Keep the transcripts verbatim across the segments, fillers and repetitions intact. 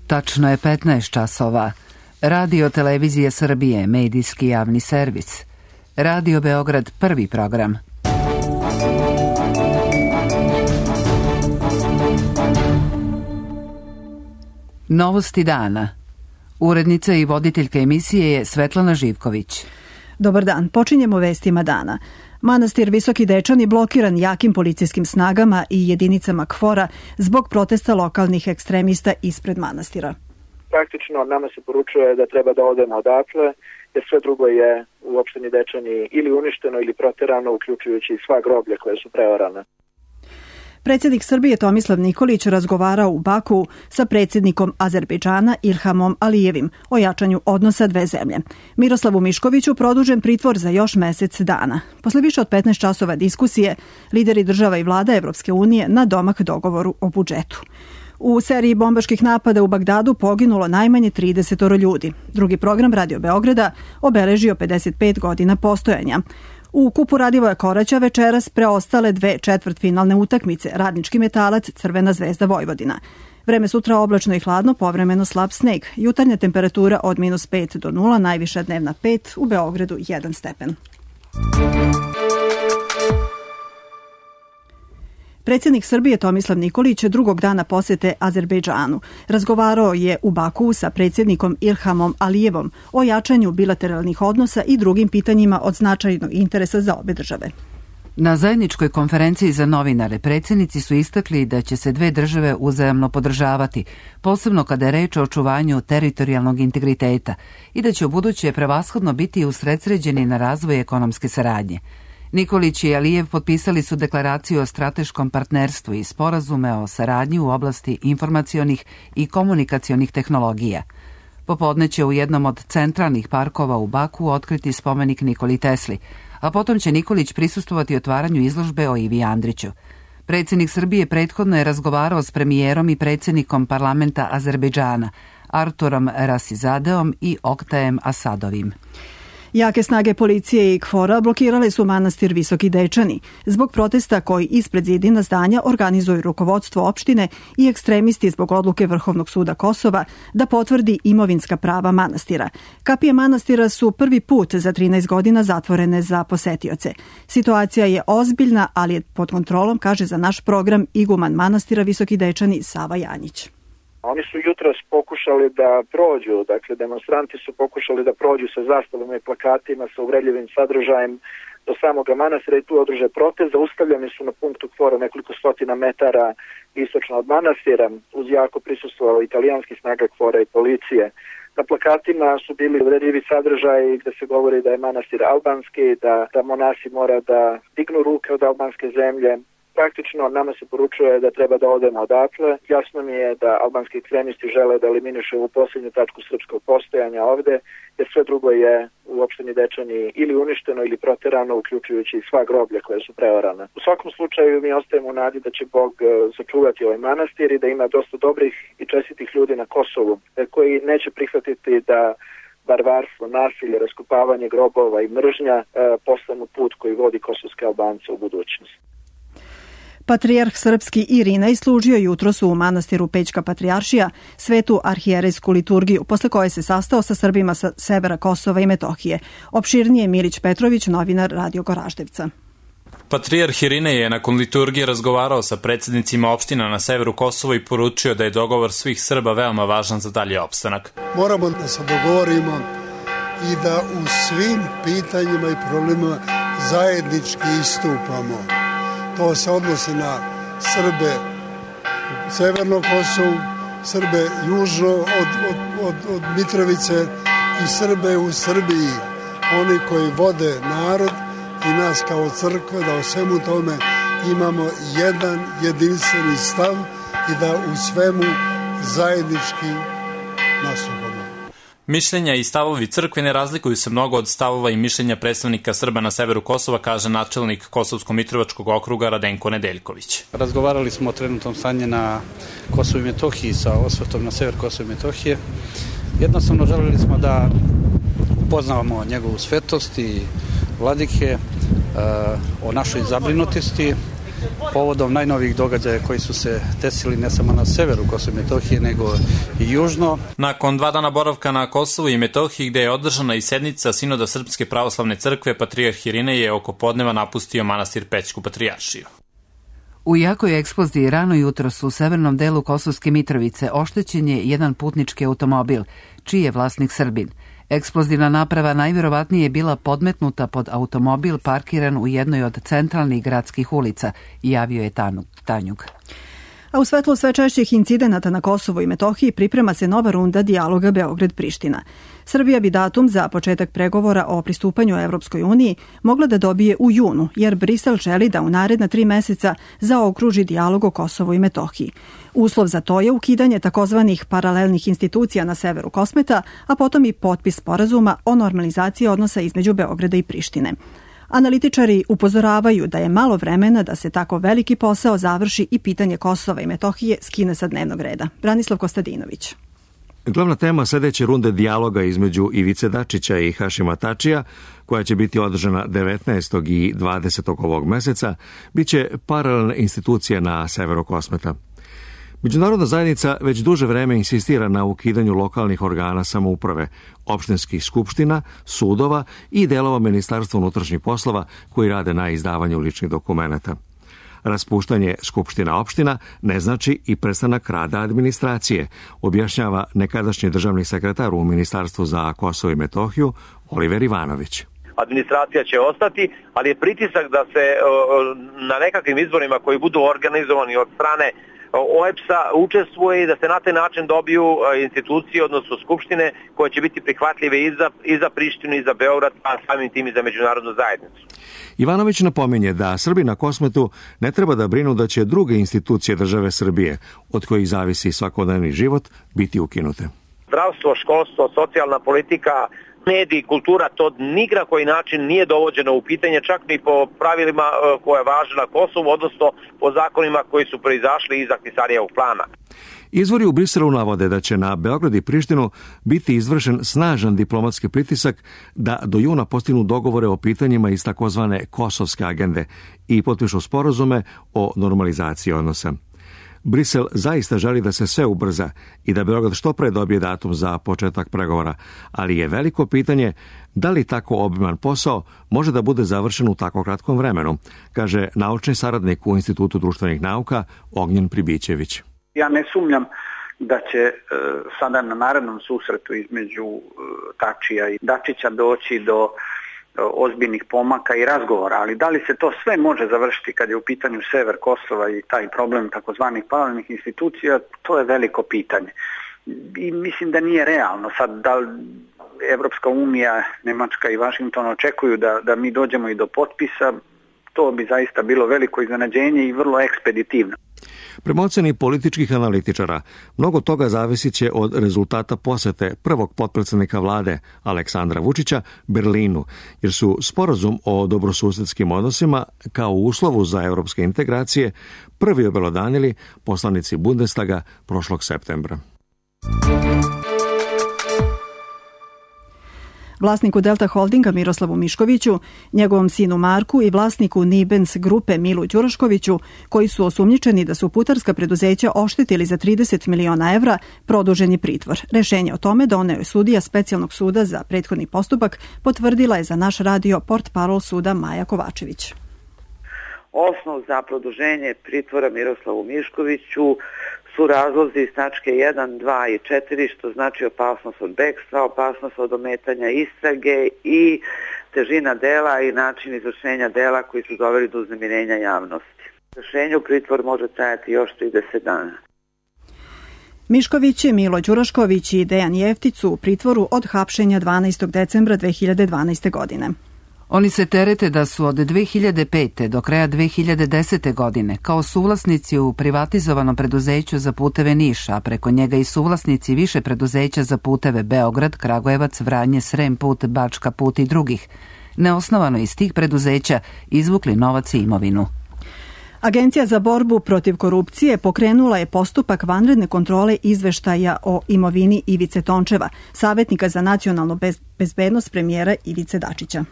Tačno je petnaest časova. Radio Televizije Srbije, medijski javni servis. Radio Beograd, prvi program. Novosti dana. Urednica i voditeljka emisije je Svetlana Živković. Dobar dan, počinjemo vestima dana. Manastir Visoki Dečani blokiran jakim policijskim snagama i jedinicama KFOR-a zbog protesta lokalnih ekstremista ispred manastira. Praktično nama se poručuje da treba da odemo odatle, jer sve drugo je u opštini Dečani ili uništeno ili proterano, uključujući sva groblja koje su preorana. Predsjednik Srbije Tomislav Nikolić razgovarao u Baku sa predsjednikom Azerbejdžana Ilhamom Alijevim o jačanju odnosa dve zemlje. Miroslavu Miškoviću produžen pritvor za još mesec dana. Posle više od petnaest časova diskusije, lideri država i vlada Evropske unije na domak dogovoru o budžetu. U seriji bombaških napada u Bagdadu poginulo najmanje trideset ljudi. Drugi program Radio Beograda obeležio pedeset pet godina postojanja. U kupu Radivoja Koraća večeras preostale dve četvrtfinalne utakmice, Radnički Metalac, Crvena zvezda Vojvodina. Vreme sutra oblačno i hladno, povremeno slab sneg. Jutarnja temperatura od minus pet do nula, najviša dnevna pet, u Beogradu jedan stepen. Predsjednik Srbije Tomislav Nikolić drugog dana posete Azerbejdžanu. Razgovarao je u Baku sa predsjednikom Ilhamom Alijevom o jačanju bilateralnih odnosa i drugim pitanjima od značajnog interesa za obe države. Na zajedničkoj konferenciji za novinare predsjednici su istakli da će se dve države uzajamno podržavati, posebno kada je reč o očuvanju teritorijalnog integriteta, i da će ubuduće prevashodno biti usredsređeni na razvoj ekonomske saradnje. Nikolić i Alijev potpisali su deklaraciju o strateškom partnerstvu i sporazume o saradnji u oblasti informacionih i komunikacionih tehnologija. Popodne će u jednom od centralnih parkova u Baku otkriti spomenik Nikoli Tesli, a potom će Nikolić prisustvovati otvaranju izložbe o Ivi Andriću. Predsjednik Srbije prethodno je razgovarao s premijerom i predsjednikom parlamenta Azerbejdžana, Arturom Rasizadeom i Oktajem Asadovim. Jake snage policije i KFOR-a blokirale su manastir Visoki Dečani zbog protesta koji ispred zidina zdanja organizuju rukovodstvo opštine i ekstremisti zbog odluke Vrhovnog suda Kosova da potvrdi imovinska prava manastira. Kapije manastira su prvi put za trinaest godina zatvorene za posetioce. Situacija je ozbiljna, ali je pod kontrolom, kaže za naš program iguman manastira Visoki Dečani Sava Janjić. Oni su jutros pokušali da prođu, dakle demonstranti su pokušali da prođu sa zastavama i plakatima sa uvredljivim sadržajem do samoga manastira i tu održe protest. Zaustavljeni su na punktu KFOR-a nekoliko stotina metara istočno od manastira, uz jako prisustvo italijanskih snaga KFOR-a i policije. Na plakatima su bili uvredljivi sadržaji gde se govori da je manastir albanski, da, da monasi mora da dignu ruke od albanske zemlje. Praktično nama se poručuje da treba da odemo odatle. Jasno mi je da albanski ekstremisti žele da eliminišu ovu posljednju tačku srpskog postojanja ovde, jer sve drugo je u opštini Dečani ili uništeno ili proterano, uključujući sva groblja koje su preorana. U svakom slučaju mi ostajemo u nadi da će Bog sačuvati ovaj manastir i da ima dosta dobrih i čestitih ljudi na Kosovu koji neće prihvatiti da barbarstvo, nasilje, raskopavanje grobova i mržnja postanu put koji vodi kosovske Albance u budućnost. Patrijarh srpski Irinej služio jutros u manastiru Pećka Patrijaršija svetu arhijerejsku liturgiju, posle koje se sastao sa Srbima sa severa Kosova i Metohije. Opširnije Milić Petrović, novinar Radio Goraždevca. Patrijarh Irinej je nakon liturgije razgovarao sa predsjednicima opština na severu Kosova i poručio da je dogovor svih Srba veoma važan za dalji opstanak. Moramo da se dogovorimo i da u svim pitanjima i problemima zajednički istupamo. To se odnosi na Srbe u Severnom Kosovu, Srbe južno od, od, od, od Mitrovice i Srbe u Srbiji. Oni koji vode narod i nas kao crkve, da o svemu tome imamo jedan jedinstveni stav i da u svemu zajednički nastupamo. Mišljenja i stavovi crkve ne razlikuju se mnogo od stavova i mišljenja predstavnika Srba na severu Kosova, kaže načelnik Kosovsko-Mitrovačkog okruga Radenko Nedeljković. Razgovarali smo o trenutnom stanju na Kosovu i Metohiji sa osvrtom na sever Kosova i Metohije. Jednostavno želeli smo da upoznavamo njegovu svetost i vladike, o našoj zabrinutosti povodom najnovijih događaja koji su se desili ne samo na severu Kosova i Metohije, nego i južno. Nakon dva dana boravka na Kosovu i Metohiji, gde je održana i sednica Sinoda Srpske pravoslavne crkve, patrijarh Irinej je oko podneva napustio manastir Pećku patrijaršiju. U jakoj eksploziji rano jutros u severnom delu Kosovske Mitrovice oštećen je jedan putnički automobil, čiji je vlasnik Srbin. Eksplozivna naprava najvjerovatnije je bila podmetnuta pod automobil parkiran u jednoj od centralnih gradskih ulica, javio je Tanjug. A u svetlu sve češćih incidenata na Kosovu i Metohiji priprema se nova runda dijaloga Beograd-Priština. Srbija bi datum za početak pregovora o pristupanju Evropskoj uniji mogla da dobije u junu, jer Brisel želi da u naredna tri meseca zaokruži dijalog o Kosovu i Metohiji. Uslov za to je ukidanje takozvanih paralelnih institucija na severu Kosmeta, a potom i potpis sporazuma o normalizaciji odnosa između Beograda i Prištine. Analitičari upozoravaju da je malo vremena da se tako veliki posao završi i pitanje Kosova i Metohije skine sa dnevnog reda. Branislav Kostadinović. Glavna tema sljedeće runde dijaloga između Ivice Dačića i Hašima Tačija, koja će biti održana devetnaestog i dvadesetog ovog meseca, biće paralelna institucija na severu Kosmeta. Međunarodna zajednica već duže vreme insistira na ukidanju lokalnih organa samouprave, opštinskih skupština, sudova i delova Ministarstva unutrašnjih poslova koji rade na izdavanju ličnih dokumenata. Raspuštanje skupština opština ne znači i prestanak rada administracije, objašnjava nekadašnji državni sekretar u Ministarstvu za Kosovo i Metohiju Oliver Ivanović. Administracija će ostati, ali je pritisak da se na nekakvim izborima koji budu organizovani od strane O E B S-a učestvuje i da se na taj način dobiju institucije, odnosno skupštine, koje će biti prihvatljive i za, i za Prištinu i za Beograd, a samim tim i za međunarodnu zajednicu. Ivanović napominje da Srbi na Kosmetu ne treba da brinu da će druge institucije države Srbije, od kojih zavisi svakodnevni život, biti ukinute. Zdravstvo, školstvo, socijalna politika, mediji, kultura, to ni na koji način nije dovođeno u pitanje, čak ni po pravilima koje važe na Kosovu, odnosno po zakonima koji su proizašli iz Ahtisarijevog plana. Izvori u Briselu navode da će na Beograd i Prištinu biti izvršen snažan diplomatski pritisak da do juna postignu dogovore o pitanjima iz takozvane kosovske agende i potpišu sporazume o normalizaciji odnosa. Brisel zaista želi da se sve ubrza i da Beograd što pre dobije datum za početak pregovora, ali je veliko pitanje da li tako obiman posao može da bude završen u tako kratkom vremenu, kaže naučni saradnik u Institutu društvenih nauka Ognjen Pribićević. Ja ne sumnjam da će e, sada na narednom susretu između e, Tačija i Dačića doći do ozbiljnih pomaka i razgovora, ali da li se to sve može završiti kad je u pitanju sever Kosova i taj problem takozvanih paralelnih institucija, to je veliko pitanje. I mislim da nije realno. Sad, da li Evropska unija, Nemačka i Vašington očekuju da, da mi dođemo i do potpisa, to bi zaista bilo veliko iznenađenje i vrlo ekspeditivno. Prema oceni političkih analitičara, mnogo toga zavisit će od rezultata posete prvog potpredsjednika vlade Aleksandra Vučića Berlinu, jer su sporazum o dobrosusedskim odnosima kao uslovu za evropske integracije prvi obelodanili poslanici Bundestaga prošlog septembra. Vlasniku Delta Holdinga Miroslavu Miškoviću, njegovom sinu Marku i vlasniku Nibens grupe Milu Đuraškoviću, koji su osumnjičeni da su putarska preduzeća oštetili za trideset miliona evra, produžen je pritvor. Rešenje o tome doneo je sudija Specijalnog suda za prethodni postupak, potvrdila je za naš radio portparol suda Maja Kovačević. Osnov za produženje pritvora Miroslavu Miškoviću su razlozi iz tačke jedan, dva i četiri, što znači opasnost od bekstva, opasnost od ometanja istrage i težina dela i način izvršenja dela koji su doveli do uznemirenja javnosti. Rešenju pritvor može trajati još trideset dana. Mišković, Milo Đurašković i Dejan Jeftić su u pritvoru od hapšenja dvanaestog decembra dve hiljade dvanaeste. godine. Oni se terete da su od dve hiljade pete. do kraja dve hiljade desete. godine kao suvlasnici u privatizovanom preduzeću za puteve Niš, a preko njega i suvlasnici više preduzeća za puteve Beograd, Kragujevac, Vranje, Srem put, Bačka put i drugih, neosnovano iz tih preduzeća izvukli novac i imovinu. Agencija za borbu protiv korupcije pokrenula je postupak vanredne kontrole izveštaja o imovini Ivice Tončeva, savjetnika za nacionalnu bezbednost premijera Ivice Dačića.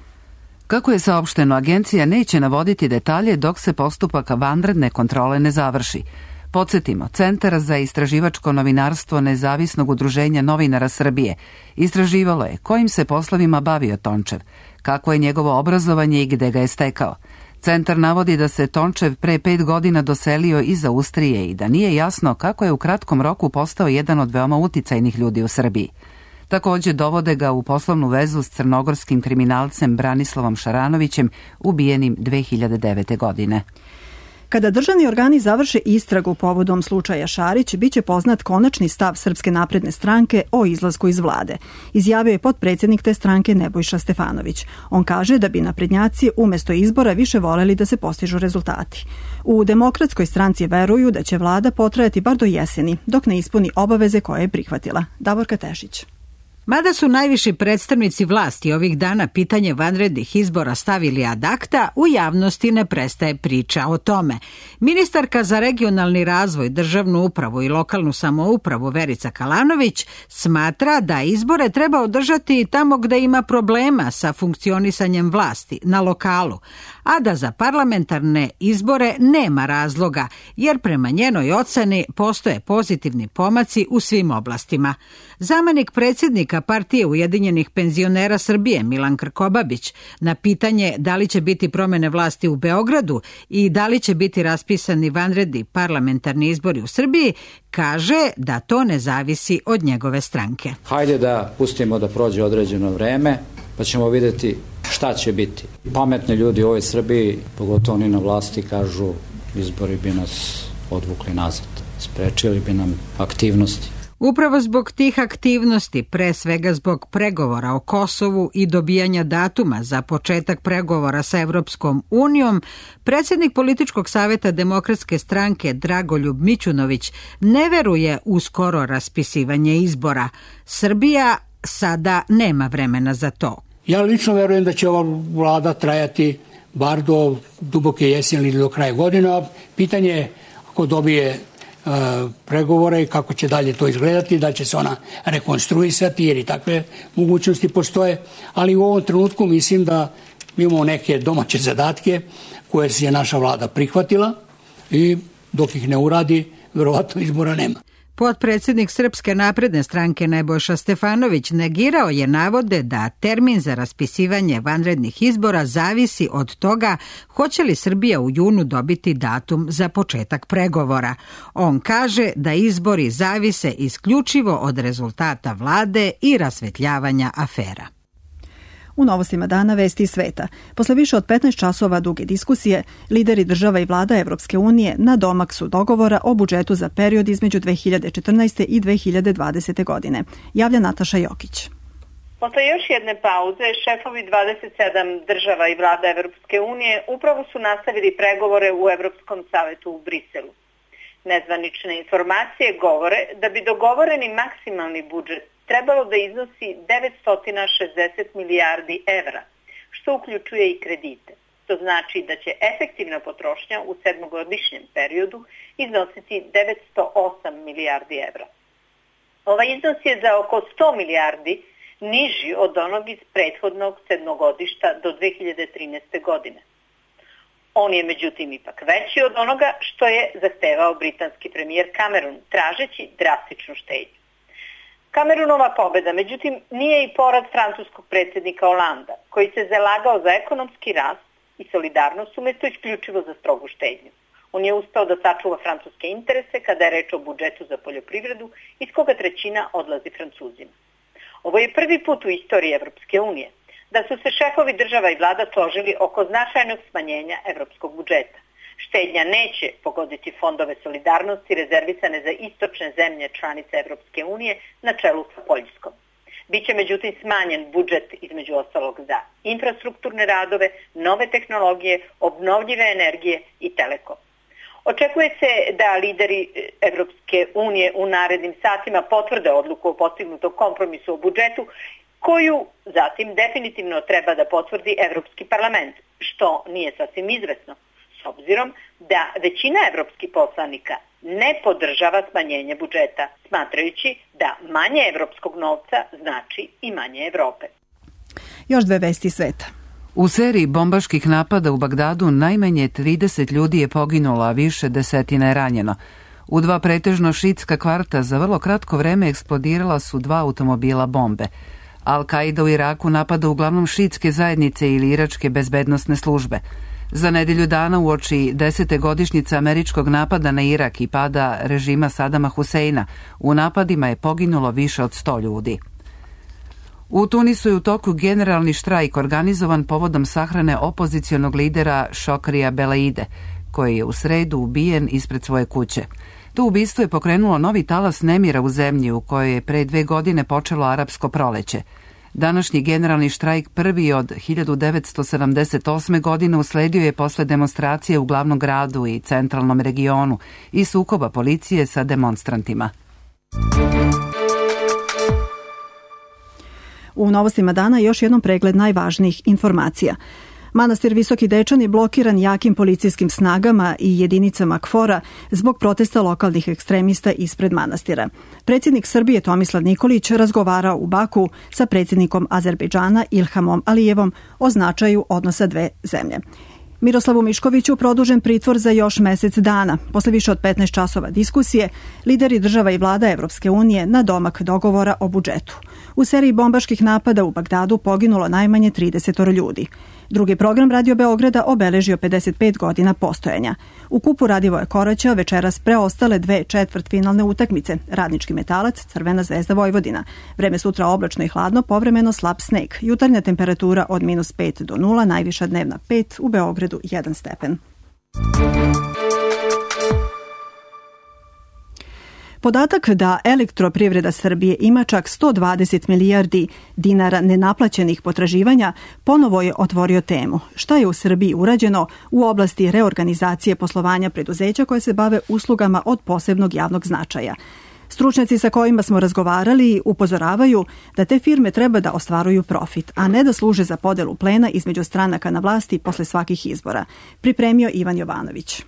Kako je saopšteno, agencija neće navoditi detalje dok se postupak vanredne kontrole ne završi. Podsjetimo, Centar za istraživačko novinarstvo Nezavisnog udruženja novinara Srbije istraživalo je kojim se poslovima bavio Tončev, kako je njegovo obrazovanje i gde ga je stekao. Centar navodi da se Tončev pre pet godina doselio iz Austrije i da nije jasno kako je u kratkom roku postao jedan od veoma uticajnih ljudi u Srbiji. Takođe dovode ga u poslovnu vezu s crnogorskim kriminalcem Branislavom Šaranovićem, ubijenim dve hiljade devete. godine. Kada državni organi završe istragu povodom slučaja Šarić, biće poznat konačni stav Srpske napredne stranke o izlasku iz vlade, izjavio je potpredsjednik te stranke Nebojša Stefanović. On kaže da bi naprednjaci umesto izbora više voleli da se postižu rezultati. U Demokratskoj stranci veruju da će vlada potrajati bar do jeseni, dok ne ispuni obaveze koje je prihvatila. Davorka Tešić. Mada su najviši predstavnici vlasti ovih dana pitanje vanrednih izbora stavili ad acta, u javnosti ne prestaje priča o tome. Ministarka za regionalni razvoj, državnu upravu i lokalnu samoupravu Verica Kalanović smatra da izbore treba održati tamo gde ima problema sa funkcionisanjem vlasti, na lokalu, a da za parlamentarne izbore nema razloga, jer prema njenoj oceni postoje pozitivni pomaci u svim oblastima. Zamenik predsjednika Partije Ujedinjenih penzionera Srbije Milan Krkobabić na pitanje da li će biti promene vlasti u Beogradu i da li će biti raspisani vanredni parlamentarni izbori u Srbiji, kaže da to ne zavisi od njegove stranke. Hajde da pustimo da prođe određeno vreme, pa ćemo vidjeti šta će biti. Pametni ljudi u ovoj Srbiji, pogotovo oni na vlasti, kažu izbori bi nas odvukli nazad, sprečili bi nam aktivnosti. Upravo zbog tih aktivnosti, pre svega zbog pregovora o Kosovu i dobijanja datuma za početak pregovora sa Evropskom unijom, predsjednik Političkog saveta Demokratske stranke Dragoljub Mićunović ne veruje u skoro raspisivanje izbora. Srbija sada nema vremena za to. Ja lično verujem da će ova vlada trajati bar do duboke jeseni ili do kraja godina. Pitanje je ako dobije pregovore i kako će dalje to izgledati, da će se ona rekonstruisati jer i takve mogućnosti postoje, ali u ovom trenutku mislim da imamo neke domaće zadatke koje je naša vlada prihvatila i dok ih ne uradi, verovatno izbora nema. Potpredsjednik Srpske napredne stranke Nebojša Stefanović negirao je navode da termin za raspisivanje vanrednih izbora zavisi od toga hoće li Srbija u junu dobiti datum za početak pregovora. On kaže da izbori zavise isključivo od rezultata vlade i rasvetljavanja afera. U novostima dana vesti iz sveta. Posle više od petnaest časova duge diskusije, lideri država i vlada Evropske unije na domak su dogovora o budžetu za period između dve hiljade četrnaeste. i dve hiljade dvadesete. godine. Javlja Nataša Jokić. Posle još jedne pauze, šefovi dvadeset sedam država i vlada Evropske unije upravo su nastavili pregovore u Evropskom savetu u Briselu. Nezvanične informacije govore da bi dogovoreni maksimalni budžet trebalo da iznosi devetsto šezdeset milijardi evra, što uključuje i kredite. To znači da će efektivna potrošnja u sedmogodišnjem periodu iznositi devetsto osam milijardi evra. Ovaj iznos je za oko sto milijardi niži od onog iz prethodnog sedmogodišta do dve hiljade trinaeste. godine. On je međutim ipak veći od onoga što je zahtevao britanski premijer Cameron, tražeći drastičnu štednju. Cameronova pobeda, međutim, nije i porad francuskog predsjednika Holanda, koji se zalagao za ekonomski rast i solidarnost umjesto isključivo za strogu štednju. On je uspeo da sačuva francuske interese kada je reč o budžetu za poljoprivredu, iz koga trećina odlazi Francuzima. Ovo je prvi put u istoriji Evropske unije da su se šefovi država i vlada složili oko značajnog smanjenja evropskog budžeta. Štednja neće pogoditi fondove solidarnosti rezervisane za istočne zemlje članice Evropske unije na čelu sa Poljskom. Biće međutim smanjen budžet između ostalog za infrastrukturne radove, nove tehnologije, obnovljive energije i telekom. Očekuje se da lideri Evropske unije u narednim satima potvrde odluku o postignutom kompromisu o budžetu, koju zatim definitivno treba da potvrdi Evropski parlament, što nije sasvim izvesno, s obzirom da većina evropskih poslanika ne podržava smanjenje budžeta, smatrajući da manje evropskog novca znači i manje Evrope. Još dve vesti sveta. U seriji bombaških napada u Bagdadu najmanje trideset ljudi je poginulo, a više desetina je ranjeno. U dva pretežno šiitska kvarta za vrlo kratko vreme eksplodirala su dva automobila bombe. Al-Qaida u Iraku napada uglavnom šiitske zajednice ili iračke bezbednosne službe. Za nedelju dana uoči desete godišnjice američkog napada na Irak i pada režima Sadama Huseina, u napadima je poginulo više od sto ljudi. U Tunisu je u toku generalni štrajk organizovan povodom sahrane opozicionog lidera Šokrija Belaide, koji je u sredu ubijen ispred svoje kuće. To ubistvo je pokrenulo novi talas nemira u zemlji u kojoj je pre dve godine počelo arapsko proleće. Današnji generalni štrajk, prvi od hiljadu devetsto sedamdeset osme. godine, usledio je posle demonstracije u glavnom gradu i centralnom regionu i sukoba policije sa demonstrantima. U novostima dana još jednom pregled najvažnijih informacija. Manastir Visoki Dečan je blokiran jakim policijskim snagama i jedinicama KFOR-a zbog protesta lokalnih ekstremista ispred manastira. Predsjednik Srbije Tomislav Nikolić razgovarao u Baku sa predsjednikom Azerbejdžana Ilhamom Alijevom o značaju odnosa dve zemlje. Miroslavu Miškoviću produžen pritvor za još mesec dana. Posle više od petnaest časova diskusije, lideri država i vlada Evropske unije na domak dogovora o budžetu. U seriji bombaških napada u Bagdadu poginulo najmanje trideset ljudi. Drugi program Radio Beograda obeležio pedeset pet godina postojanja. U kupu Radivoja Koraća večeras preostale dve četvrtfinalne utakmice, Radnički Metalac, Crvena zvezda Vojvodina. Vreme sutra oblačno i hladno, povremeno slab sneg. Jutarnja temperatura od minus pet do nula, najviša dnevna pet, u Beogradu jedan stepen. Podatak da Elektroprivreda Srbije ima čak sto dvadeset milijardi dinara nenaplaćenih potraživanja ponovo je otvorio temu. Šta je u Srbiji urađeno u oblasti reorganizacije poslovanja preduzeća koje se bave uslugama od posebnog javnog značaja? Stručnjaci sa kojima smo razgovarali upozoravaju da te firme treba da ostvaruju profit, a ne da služe za podelu plena između stranaka na vlasti posle svakih izbora. Pripremio Ivan Jovanović.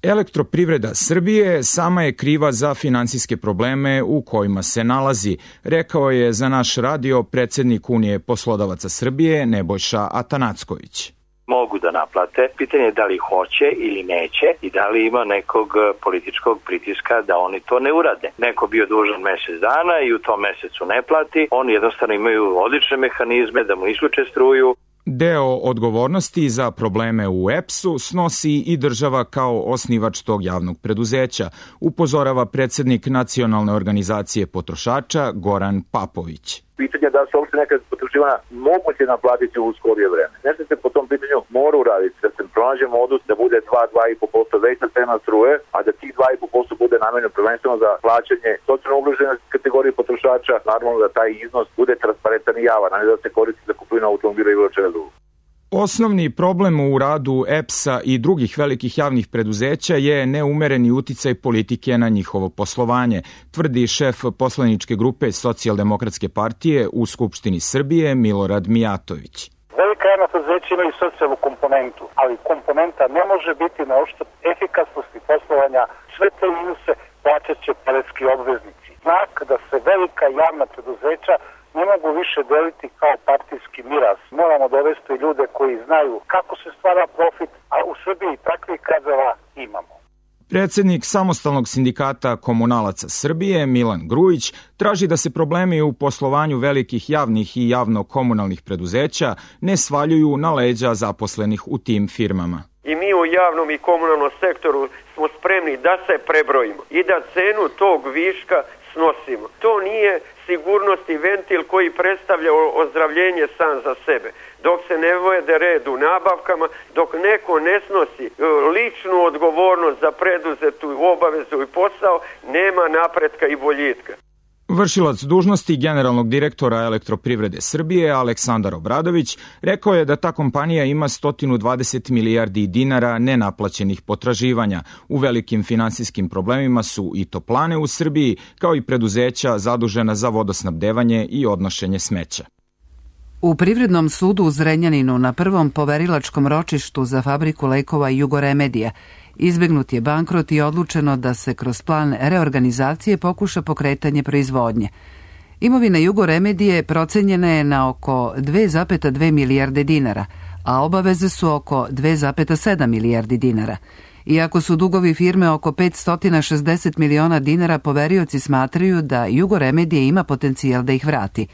Elektroprivreda Srbije sama je kriva za finansijske probleme u kojima se nalazi, rekao je za naš radio predsjednik Unije poslodavaca Srbije Nebojša Atanacković. Mogu da naplate, pitanje je da li hoće ili neće i da li ima nekog političkog pritiska da oni to ne urade. Neko bio dužan mesec dana i u tom mesecu ne plati, oni jednostavno imaju odlične mehanizme da mu isključe struju. Deo odgovornosti za probleme u E P S-u snosi i država kao osnivač tog javnog preduzeća, upozorava predsjednik Nacionalne organizacije potrošača Goran Papović. Pitanje da se uopšte neka potraživanja moguće naplatiti u skorije vreme. Nešto se po tom pitanju mora uraditi, da se pronađe modus da bude dva do dva i po posto veća cena struje, a da tih dva i po posto bude namenjeno prvenstveno za plaćanje socijalno ugrožene kategorije potrošača, naravno da taj iznos bude transparentan i javan, a ne da se koristi za kupovinu automobila i bilo čega drugog. Osnovni problem u radu E P S-a i drugih velikih javnih preduzeća je neumereni uticaj politike na njihovo poslovanje, tvrdi šef poslaničke grupe Socijaldemokratske partije u Skupštini Srbije Milorad Mijatović. Velika javna preduzeća imaju socijalnu komponentu, ali komponenta ne može biti na uštrb efikasnosti poslovanja. Sve te minuse plaćat će poreski obveznici. Znak da se velika javna preduzeća ne mogu više deliti kao partijski miraz. Moramo dovesti ljude koji znaju kako se stvara profit, a u Srbiji takvih kadrova imamo. Predsjednik Samostalnog sindikata komunalaca Srbije Milan Grujić traži da se problemi u poslovanju velikih javnih i javno-komunalnih preduzeća ne svaljuju na leđa zaposlenih u tim firmama. I mi u javnom i komunalnom sektoru smo spremni da se prebrojimo i da cenu tog viška snosimo. To nije sigurnost i ventil koji predstavlja ozdravljenje sam za sebe. Dok se ne vode red u nabavkama, dok neko ne snosi ličnu odgovornost za preduzetu obavezu i posao, nema napretka i boljitka. Vršilac dužnosti generalnog direktora Elektroprivrede Srbije Aleksandar Obradović rekao je da ta kompanija ima sto dvadeset milijardi dinara nenaplaćenih potraživanja. U velikim finansijskim problemima su i toplane u Srbiji, kao i preduzeća zadužena za vodosnabdevanje i odnošenje smeća. U Privrednom sudu u Zrenjaninu na prvom poverilačkom ročištu za fabriku lekova Jugoremedija izbegnut je bankrot i odlučeno da se kroz plan reorganizacije pokuša pokretanje proizvodnje. Imovina Jugoremedije procenjena je na oko dve zarez dve milijarde dinara, a obaveze su oko dve zarez sedam milijardi dinara. Iako su dugovi firme oko petsto šezdeset miliona dinara, poverioci smatraju da Jugoremedije ima potencijal da ih vrati.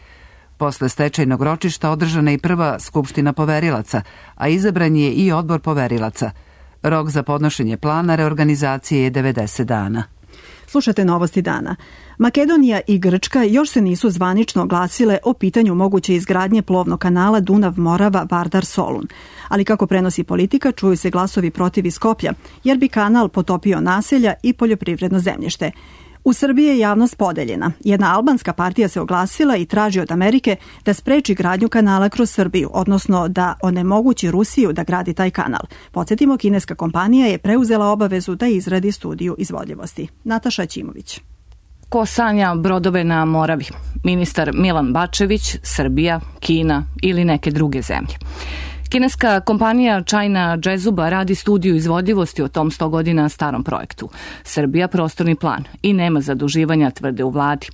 Posle stečajnog ročišta održana je i prva skupština poverilaca, a izabran je i odbor poverilaca. Rok za podnošenje plana reorganizacije je devedeset dana. Slušate novosti dana. Makedonija i Grčka još se nisu zvanično oglasile o pitanju moguće izgradnje plovnog kanala Dunav-Morava-Vardar-Solun. Ali kako prenosi Politika, čuju se glasovi protiv iz Skoplja, jer bi kanal potopio naselja i poljoprivredno zemljište. U Srbiji je javnost podeljena. Jedna albanska partija se oglasila i traži od Amerike da spreči gradnju kanala kroz Srbiju, odnosno da onemogući Rusiju da gradi taj kanal. Podsjetimo, kineska kompanija je preuzela obavezu da izradi studiju izvodljivosti. Nataša Ćimović. Ko sanja brodove na Moravi? Ministar Milan Bačević, Srbija, Kina ili neke druge zemlje? Kineska kompanija China Jezuba radi studiju izvodljivosti o tom sto godina starom projektu. Srbija prostorni plan i nema zaduživanja, tvrde u vladi.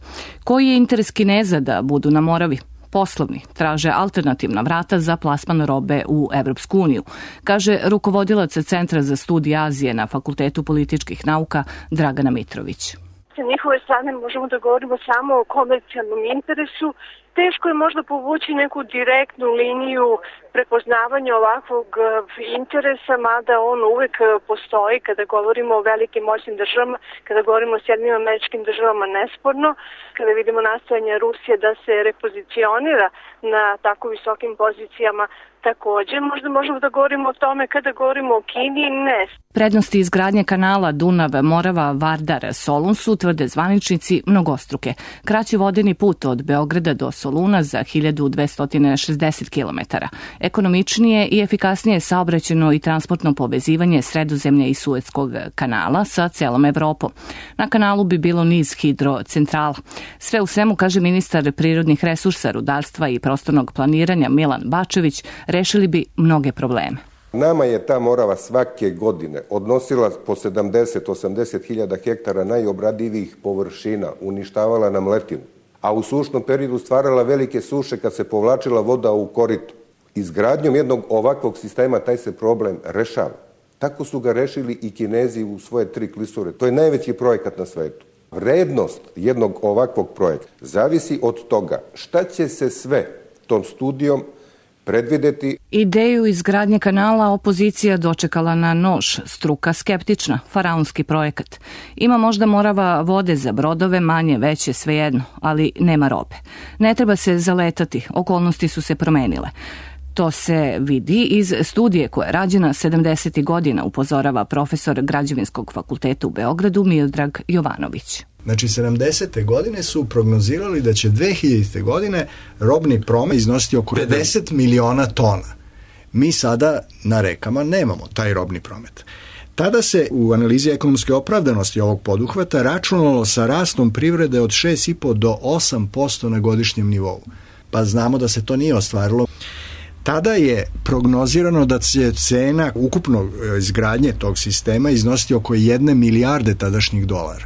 Koji je interes Kineza da budu na Moravi? Poslovni, traže alternativna vrata za plasman robe u Evropsku uniju, kaže rukovodilac Centra za studije Azije na Fakultetu političkih nauka Dragana Mitrović. Sa njihove strane možemo da govorimo samo o komercijalnom interesu. Teško je možda povući neku direktnu liniju prepoznavanja ovakvog interesa, mada on uvek postoji kada govorimo o velikim moćnim državama, kada govorimo o Sjedinjenim Američkim Državama nesporno, kada vidimo nastojanje Rusije da se repozicionira na tako visokim pozicijama. Takođe, možda možemo da govorimo o tome kada govorimo o Kini, ne. Prednosti izgradnje kanala Dunav-Morava-Vardar-Solun su, tvrde zvaničnici, mnogostruke. Kraći vodeni put od Beograda do Soluna za hiljadu dvesta šezdeset kilometara. Ekonomičnije i efikasnije saobraćajno i transportno povezivanje Sredozemlja i Suetskog kanala sa celom Evropom. Na kanalu bi bilo niz hidrocentrala. Sve u svemu, kaže ministar prirodnih resursa, rudarstva i prostornog planiranja Milan Bačević, rešili bi mnoge probleme. Nama je ta Morava svake godine odnosila po sedamdeset do osamdeset hiljada hektara najobradivijih površina, uništavala nam letinu, a u sušnom periodu stvarala velike suše kad se povlačila voda u korito. Izgradnjom jednog ovakvog sistema taj se problem rešava. Tako su ga rešili i Kinezi u svoje tri klisure. To je najveći projekat na svetu. Vrednost jednog ovakvog projekta zavisi od toga šta će se sve tom studijom predvideti. Ideju izgradnje kanala opozicija dočekala na nož, struka skeptična, faraonski projekat. Ima možda Morava vode za brodove, manje, veće, svejedno, ali nema robe. Ne treba se zaletati, okolnosti su se promenile. To se vidi iz studije koja je rađena sedamdesetih godina, upozorava profesor Građevinskog fakulteta u Beogradu Miodrag Jovanović. Znači, sedamdesete godine su prognozirali da će dve hiljadite godine robni promet iznositi oko pedeset miliona tona. Mi sada na rekama nemamo taj robni promet. Tada se u analizi ekonomske opravdanosti ovog poduhvata računalo sa rastom privrede od šest i po do osam posto na godišnjem nivou. Pa znamo da se to nije ostvarilo. Tada je prognozirano da će cena ukupnog izgradnje tog sistema iznositi oko jedne milijarde tadašnjih dolara.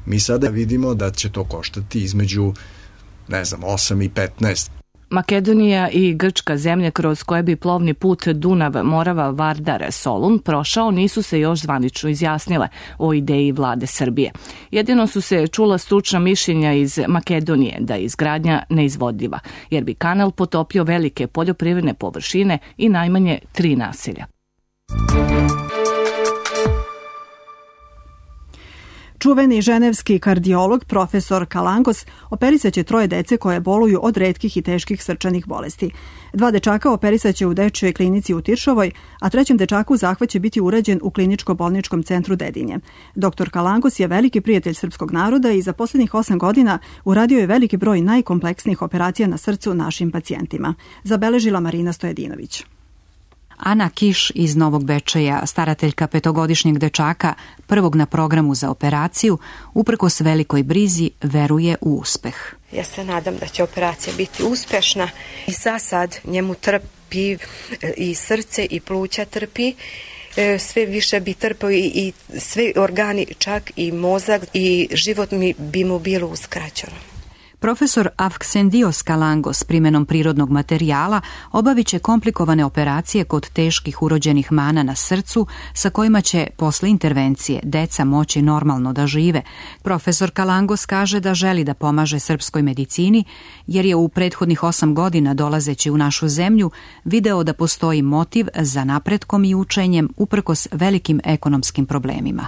Mi sada vidimo da će to koštati između, ne znam, osam i petnaest. Makedonija i Grčka, zemlje kroz koje bi plovni put Dunav-Morava-Vardar-Solun prošao, nisu se još zvanično izjasnile o ideji vlade Srbije. Jedino su se čula stručna mišljenja iz Makedonije da je izgradnja neizvodljiva, jer bi kanal potopio velike poljoprivredne površine i najmanje tri naselja. Čuveni ženevski kardiolog profesor Kalangos operisaće troje dece koje boluju od retkih i teških srčanih bolesti. Dva dečaka operisaće u dečjoj klinici u Tiršovoj, a trećem dečaku zahvat će biti urađen u kliničko-bolničkom centru Dedinje. Doktor Kalangos je veliki prijatelj srpskog naroda i za posljednjih osam godina uradio je veliki broj najkompleksnijih operacija na srcu našim pacijentima. Zabeležila Marina Stojedinović. Ana Kiš iz Novog Bečeja, starateljka petogodišnjeg dečaka, prvog na programu za operaciju, uprkos velikoj brizi, veruje u uspeh. Ja se nadam da će operacija biti uspešna i za sad njemu trpi i srce i pluća trpi. Sve više bi trpao i, i sve organi, čak i mozak i život mi bi mu bilo uskraćeno. Profesor Avksendios Kalangos primjenom prirodnog materijala obavit će komplikovane operacije kod teških urođenih mana na srcu sa kojima će posle intervencije deca moći normalno da žive. Profesor Kalangos kaže da želi da pomaže srpskoj medicini jer je u prethodnih osam godina dolazeći u našu zemlju video da postoji motiv za napretkom i učenjem uprkos velikim ekonomskim problemima.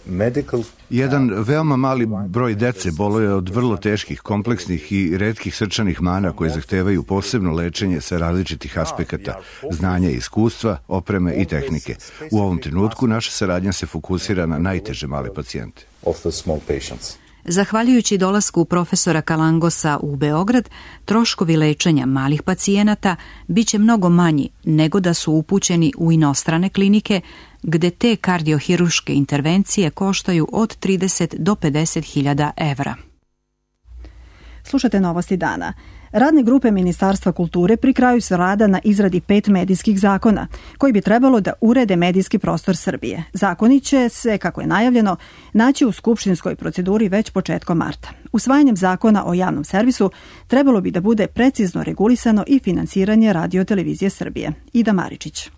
Medical... Jedan veoma mali broj dece boluje od vrlo teških, kompleksnih i retkih srčanih mana koje zahtevaju posebno lečenje sa različitih aspekata, znanja i iskustva, opreme i tehnike. U ovom trenutku naša saradnja se fokusira na najteže male pacijente. Zahvaljujući dolasku profesora Kalangosa u Beograd, troškovi lečenja malih pacijenata biće mnogo manji nego da su upućeni u inostrane klinike, gde te kardiohiruške intervencije koštaju od trideset do pedeset hiljada evra. Slušate Novosti dana. Radne grupe Ministarstva kulture pri kraju su rada na izradi pet medijskih zakona, koji bi trebalo da urede medijski prostor Srbije. Zakoni će se, kako je najavljeno, naći u skupštinskoj proceduri već početkom marta. Usvajanjem zakona o javnom servisu trebalo bi da bude precizno regulisano i finansiranje Radio-televizije Srbije. Ida Maričić.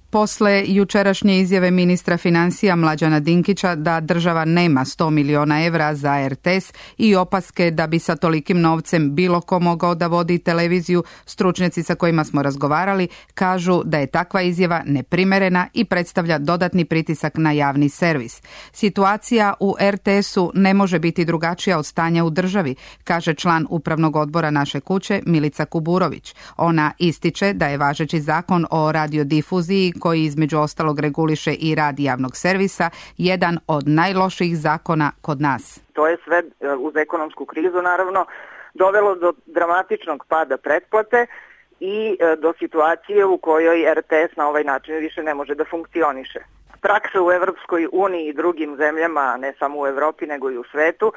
Posle jučerašnje izjave ministra finansija Mlađana Dinkića da država nema sto miliona evra za er te es i opaske da bi sa tolikim novcem bilo ko mogao da vodi televiziju, stručnjaci sa kojima smo razgovarali kažu da je takva izjava neprimerena i predstavlja dodatni pritisak na javni servis. Situacija u er te esu ne može biti drugačija od stanja u državi, kaže član upravnog odbora Naše kuće Milica Kuburović. Ona ističe da je važeći zakon o radiodifuziji koji između ostalog reguliše i rad javnog servisa, jedan od najlošijih zakona kod nas. To je sve uz ekonomsku krizu naravno dovelo do dramatičnog pada pretplate i do situacije u kojoj er te es na ovaj način više ne može da funkcioniše. Praksa u Evropskoj uniji i drugim zemljama, ne samo u Evropi nego i u svetu,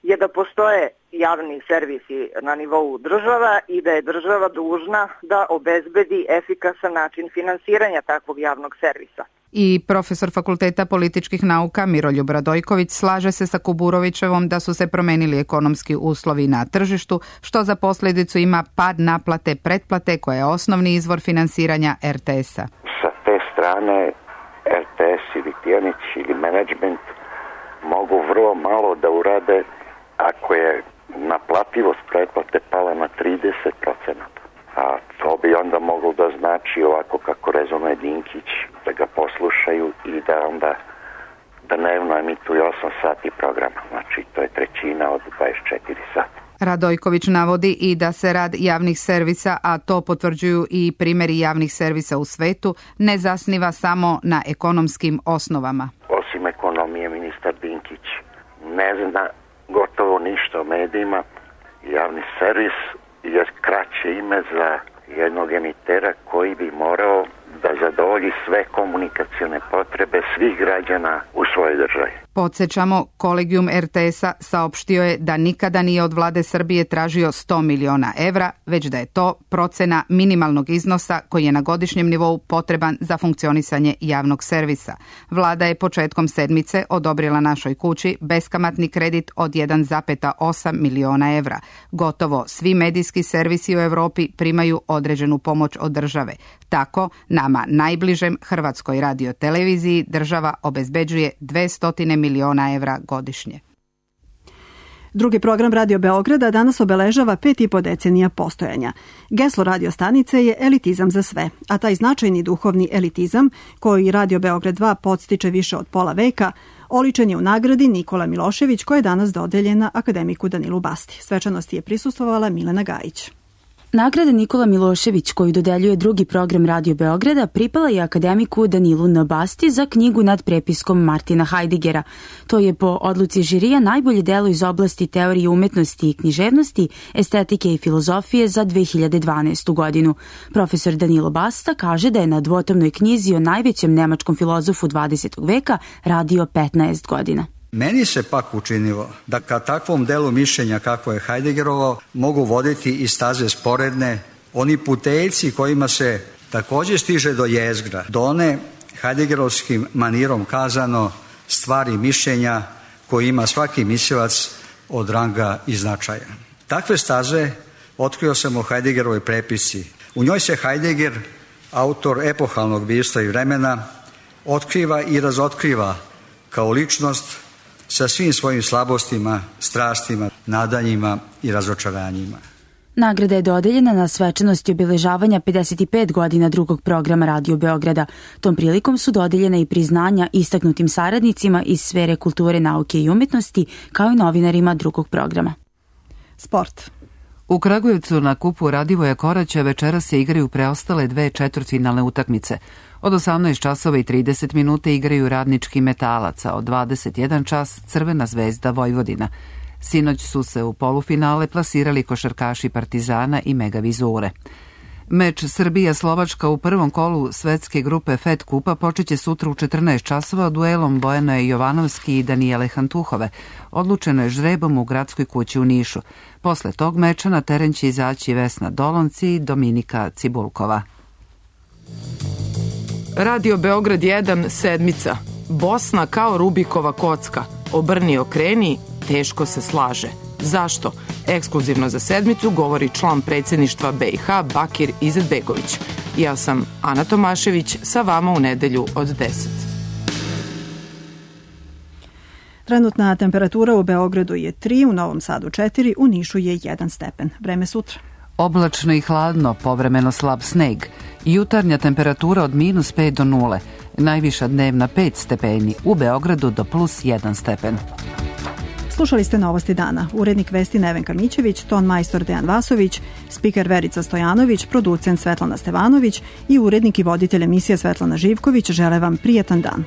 je da postoje javni servisi na nivou država i da je država dužna da obezbedi efikasan način finansiranja takvog javnog servisa. I profesor Fakulteta političkih nauka Miroljub Radojković slaže se sa Kuburovićevom da su se promenili ekonomski uslovi na tržištu, što za posljedicu ima pad naplate pretplate koja je osnovni izvor finansiranja er te esa. Sa te strane er te es ili Tijanić ili menadžment mogu vrlo malo da urade ako je naplativost pretplate pala na trideset procenata. A to bi onda moglo da znači ovako kako rezonuje Dinkić, da ga poslušaju i da onda dnevno emituju osam sati programa. Znači to je trećina od dvadeset četiri sata. Radojković navodi i da se rad javnih servisa, a to potvrđuju i primjeri javnih servisa u svetu, ne zasniva samo na ekonomskim osnovama. Osim ekonomije, ministar Dinkić ne zna gotovo ništa o medijima. Javni servis je kraće ime za jednog emitera koji bi morao da zadovolji sve komunikacione potrebe svih građana u svojoj državi. Podsjećamo, Kolegijum er te esa saopštio je da nikada nije od vlade Srbije tražio sto miliona evra, već da je to procena minimalnog iznosa koji je na godišnjem nivou potreban za funkcionisanje javnog servisa. Vlada je početkom sedmice odobrila Našoj kući beskamatni kredit od jedan zarez osam miliona evra. Gotovo svi medijski servisi u Evropi primaju određenu pomoć od države. Tako, nama najbližem Hrvatskoj radioteleviziji država obezbeđuje dvesta miliona evra godišnje. Drugi program Radio Beograda danas obeležava pet i po decenija postojanja. Geslo radio stanice je elitizam za sve, a taj značajni duhovni elitizam, koji Radio Beograd dva podstiče više od pola veka, oličen je u nagradi Nikola Milošević, koja je danas dodeljena akademiku Danilu Basti. Svečanosti je prisustvovala Milena Gajić. Nagrada Nikola Milošević, koju dodeljuje drugi program Radio Beograda, pripala je akademiku Danilu N. Basti za knjigu nad prepiskom Martina Heideggera. To je po odluci žirija najbolje delo iz oblasti teorije umetnosti i književnosti, estetike i filozofije za dve hiljade dvanaestu. godinu. Profesor Danilo Basta kaže da je na dvotomnoj knjizi o najvećem nemačkom filozofu dvadesetog veka radio petnaest godina. Meni se pak učinilo da ka takvom delu mišljenja kako je Heideggerovo mogu voditi i staze sporedne, oni putejci kojima se također stiže do jezgra, do one Heideggerovskim manirom kazano stvari mišljenja koji ima svaki mislilac od ranga i značaja. Takve staze otkrio sam u Heideggerovoj prepisci. U njoj se Heidegger, autor epohalnog bistva i vremena, otkriva i razotkriva kao ličnost sa svim svojim slabostima, strastima, nadanjima i razočaranjima. Nagrada je dodeljena na svečanosti obeležavanja pedeset pet godina drugog programa Radio Beograda. Tom prilikom su dodeljena i priznanja istaknutim saradnicima iz sfere kulture, nauke i umetnosti, kao i novinarima drugog programa. Sport. U Kragujevcu na kupu Radivoja Koraća večeras se igraju preostale dve četvrtfinalne utakmice. Od osamnaest časova i trideset minuta igraju Radnički Metalac, a od dvadeset jedan čas Crvena zvezda Vojvodina. Sinoć su se u polufinale plasirali košarkaši Partizana i Megavizure. Meč Srbija-Slovačka u prvom kolu svetske grupe Fed Kupa počeće sutra u četrnaest časova duelom Bojane Jovanovski i Danijele Hantuhove. Odlučeno je žrebom u gradskoj kući u Nišu. Posle tog meča na teren će izaći Vesna Dolonci i Dominika Cibulkova. Radio Beograd jedan, sedmica. Bosna kao Rubikova kocka. Obrni okreni, teško se slaže. Zašto? Ekskluzivno za sedmicu govori član predsjedništva B i H Bakir Izetbegović. Ja sam Ana Tomašević, sa vama u nedelju od deset. Trenutna temperatura u Beogradu je tri, u Novom Sadu četiri, u Nišu je jedan stepen. Vreme sutra. Oblačno i hladno, povremeno slab sneg. Jutarnja temperatura od minus pet do nule. Najviša dnevna pet stepeni, u Beogradu do plus jedan stepen. Slušali ste Novosti dana. Urednik vesti Nevenka Mićević, ton majstor Dejan Vasović, spiker Verica Stojanović, producent Svetlana Stevanović i urednik i voditelj emisije Svetlana Živković žele vam prijatan dan.